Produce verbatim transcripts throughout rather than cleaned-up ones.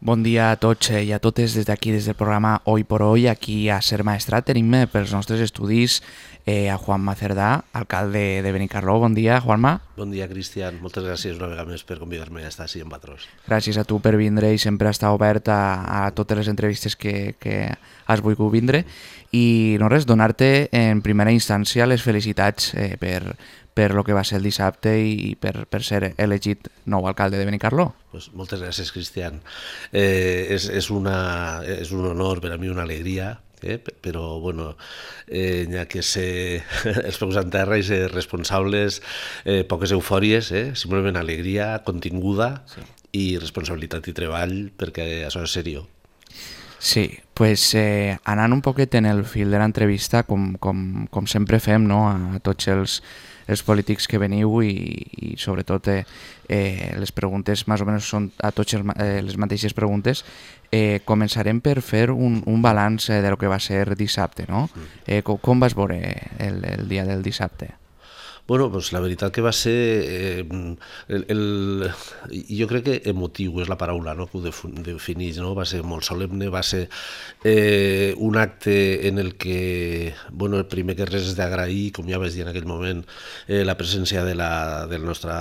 Bon dia a tots i a totes des d'aquí, des del programa Hoy por Hoy, aquí a Ser Maestrat. Tenim eh, pels nostres estudis eh, a Juanma Cerdà, alcalde de Benicarló. Bon dia, Juanma. Bon dia, Cristian. Moltes gràcies una vegada més per convidar-me a estar així en Patrós. Gràcies a tu per vindre i sempre estar obert a, a totes les entrevistes que, que has volgut vindre. I no res, donar-te en primera instància les felicitats eh, per, per lo que va ser el dissabte i per, per ser elegit nou alcalde de Benicarló. Pues moltes gràcies, Cristian. Eh, és, és, una, és un honor per a mi, una alegria, eh? Però bueno, eh, n'hi ha que ser els peus en terra i ser responsables, eh, poques eufòries, eh? Simplement alegria continguda sí. I responsabilitat i treball, perquè això és seriós. Sí, pues eh, anant un poquet en el fil de l'entrevista, com, com, com sempre fem, no? A tots els, els polítics que veniu i, i sobretot eh, eh, les preguntes més o menys són a tots els, eh, les mateixes preguntes. Eh, començarem per fer un, un balanç eh, de lo que va ser dissabte, no? Eh, com, com vas veure el, el dia del dissabte? Bueno, pues la veritat que va ser, eh, el, el, jo crec que emotiu és la paraula, no? Que ho defineix, no? Va ser molt solemne, va ser eh, un acte en el que, bueno, el primer que res és d'agrair, com ja vaig dir en aquell moment, eh, la presència de la, de la nostra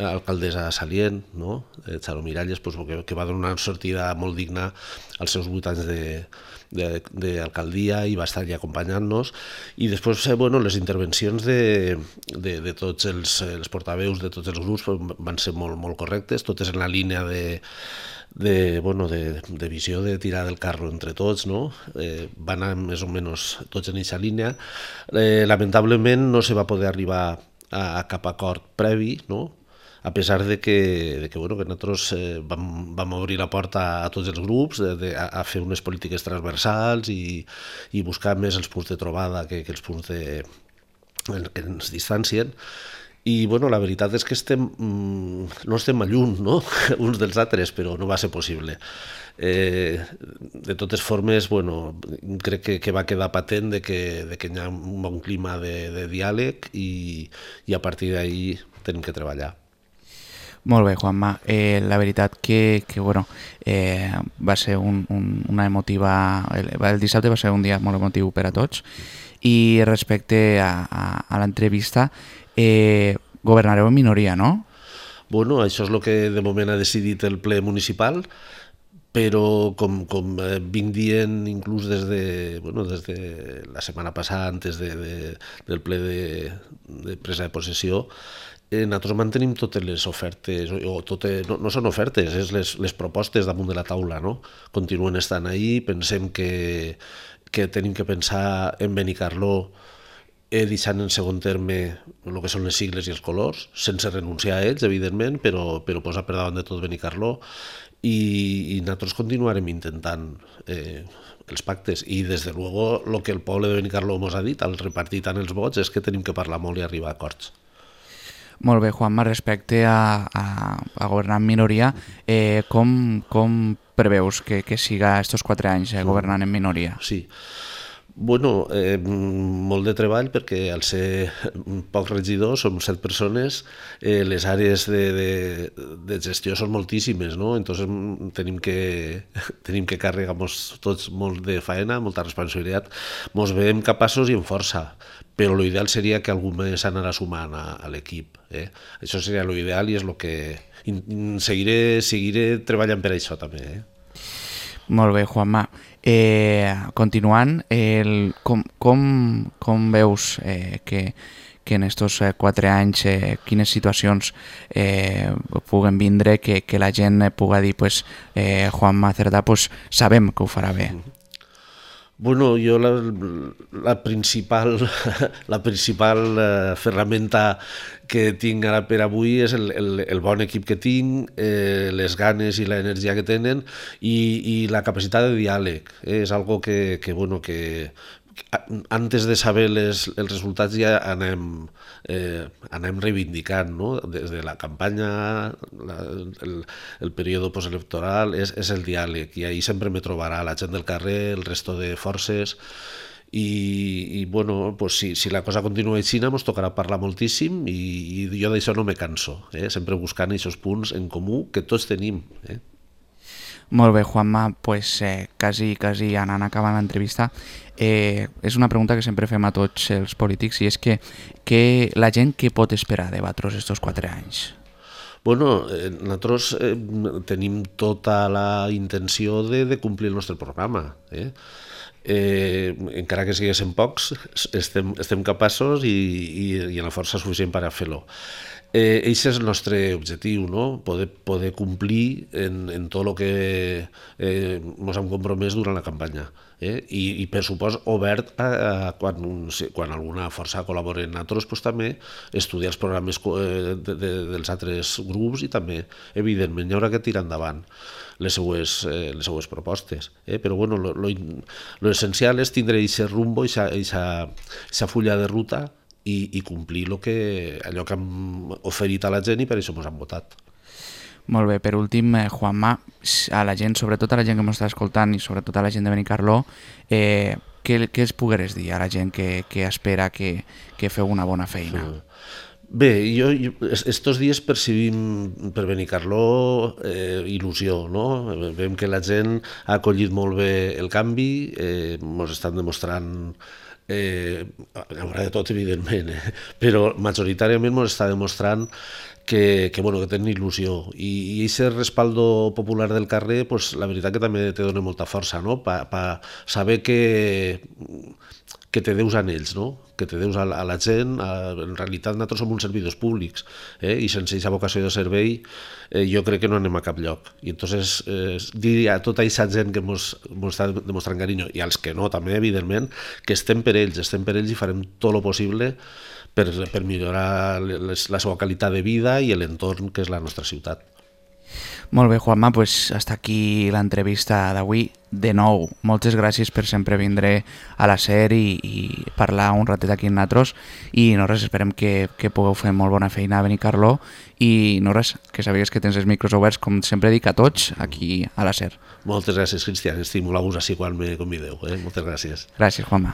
alcaldessa Salient, no? eh, Charo Miralles, pues, que, que va donar una sortida molt digna als seus vuit anys de d'alcaldia i va estar allà acompanyant-nos i després eh, bueno, les intervencions de, de, de tots els, els portaveus de tots els grups van ser molt, molt correctes, totes en la línia de, de, bueno, de, de visió de tirar del carro entre tots, no? eh, van anar més o menys tots en aquesta línia. Eh, lamentablement no se va poder arribar a, a cap acord previ, no? A pesar de que, de que, bueno, que nosaltres eh, vam, vam obrir la porta a tots els grups de, de, a fer unes polítiques transversals i, i buscar més els punts de trobada que, que els punts de, que ens distancien. I bueno, la veritat és que estem, no estem a lluny, no? uns dels altres, però no va ser possible. Eh, de totes formes, bueno, crec que, que va quedar patent de que, de que hi ha un bon clima de, de diàleg i, i a partir d'ahí tenim que treballar. Molt bé, Juanma. Eh, la veritat que, que bueno, eh, va ser un, un, una emotiva... El, el dissabte va ser un dia molt emotiu per a tots. I respecte a, a, a l'entrevista, eh, governareu en minoria, no? Bueno, això és el que de moment ha decidit el ple municipal, però com, com vinc dient inclús des de, bueno, des de la setmana passada, antes de, de, del ple de, de presa de possessió, Eh, nosaltres mantenim totes les ofertes, o totes, no, no són ofertes, és les, les propostes damunt de la taula, no? Continuen estant ahí, pensem que, que tenim que pensar en Benicarló eh, deixant en segon terme el que són les sigles i els colors, sense renunciar a ells, evidentment, però, però posar per davant de tot Benicarló i, i nosaltres continuarem intentant eh, els pactes i des de luego el que el poble de Benicarló ens ha dit al repartir tant els vots és que tenim que parlar molt i arribar a acords. Molt bé, Juanma, respecte a, a, a governar en minoria, eh, com, com preveus que, que siga estos quatre anys eh, governant en minoria? Sí, bueno, eh, molt de treball perquè al ser pocs regidors, som set persones, eh, les àrees de, de, de gestió són moltíssimes, no? Entonces tenim que, tenim que carregar-nos tots molt de faena, molta responsabilitat, mos veiem capaços i amb força, però l'ideal seria que algú més anara sumant a, a l'equip. Eh? Això seria l'ideal i és el que seguiré, seguiré treballant per això també. Eh? Molt bé, Juanma. Eh, continuant, el, com, com, com veus eh, que, que en estos eh, quatre anys eh, quines situacions eh, puguen vindre que, que la gent puga dir pues, eh, Juanma Cerdà pues, sabem que ho farà bé? Bueno, jo la, la principal, la principal eh, ferramenta que tinc ara per avui és el, el, el bon equip que tinc, eh, les ganes i l'energia que tenen i, i la capacitat de diàleg. Eh? És algo que, que, bueno, que antes de saber les, els resultats ja anem, eh, anem reivindicant, no? Des de la campanya, la, el, el període postelectoral, és, és el diàleg i ahí sempre me trobarà la gent del carrer, el resto de forces i, i bueno, pues si, si la cosa continua així ens tocarà parlar moltíssim i, i jo d'això no me canso, eh? Sempre buscant aquests punts en comú que tots tenim. Eh? Molt bé, Juanma, pues, eh, quasi, quasi anant acabant l'entrevista, eh, és una pregunta que sempre fem a tots els polítics i és que, que la gent què pot esperar de vosaltres estos quatre anys? Bueno, eh, nosaltres eh, tenim tota la intenció de, de complir el nostre programa. Eh? Eh, encara que siguessin pocs, estem, estem capaços i, i, i en la força suficient per a fer-lo. Eh, Eixe és el nostre objectiu, no? Poder, poder complir en, en tot el que eh, ens hem compromès durant la campanya. Eh? I, I per supost obert a, a quan, quan alguna força col·labora en nosaltres, pues, també estudiar els programes de, de, dels altres grups i també, evidentment, hi haurà que tirar endavant les seues, eh, les seues propostes. Eh? Però bueno, lo, lo, lo essencial és tindre aquest rumbo, aquesta fulla de ruta i, i complir lo que, allò que hem oferit a la gent i per això ens han votat. Molt bé, per últim, eh, Juanma, a la gent, sobretot a la gent que m'està escoltant i sobretot a la gent de Benicarló, eh, què, què es pogueres dir a la gent que, que espera que, que feu una bona feina? Bé, jo, jo estos dies percibim per Benicarló eh, il·lusió, no? Veiem que la gent ha acollit molt bé el canvi, eh, ens estan demostrant Eh, hi haurà de tot, evidentment, eh? Però majoritàriament ens està demostrant que, que, bueno, que tenen il·lusió i, i aquest respaldo popular del carrer, pues, la veritat que també te dona molta força, no? Pa, pa saber que, que te deus a ells, no? Que te deus a la, a la gent. A, en realitat nosaltres som uns servidors públics, eh? I sense aquesta vocació de servei eh, jo crec que no anem a cap lloc. I entonces eh, dir a tota aquesta gent que ens està demostrant carinyo i als que no també, evidentment, que estem per ells, estem per ells i farem tot el possible per, per millorar les, la seva qualitat de vida i l'entorn que és la nostra ciutat. Molt bé, Juanma, pues hasta aquí l'entrevista d'avui. De nou, moltes gràcies per sempre vindre a la SER i, i parlar un ratet aquí amb nosaltres i no res, esperem que, que pugueu fer molt bona feina a Benicarló i no res, que sabies que tens els micros oberts, com sempre dic a tots, aquí a la SER. Moltes gràcies, Cristian, estic molt a gust així quan me convideu. Eh? Moltes gràcies. Gràcies, Juanma.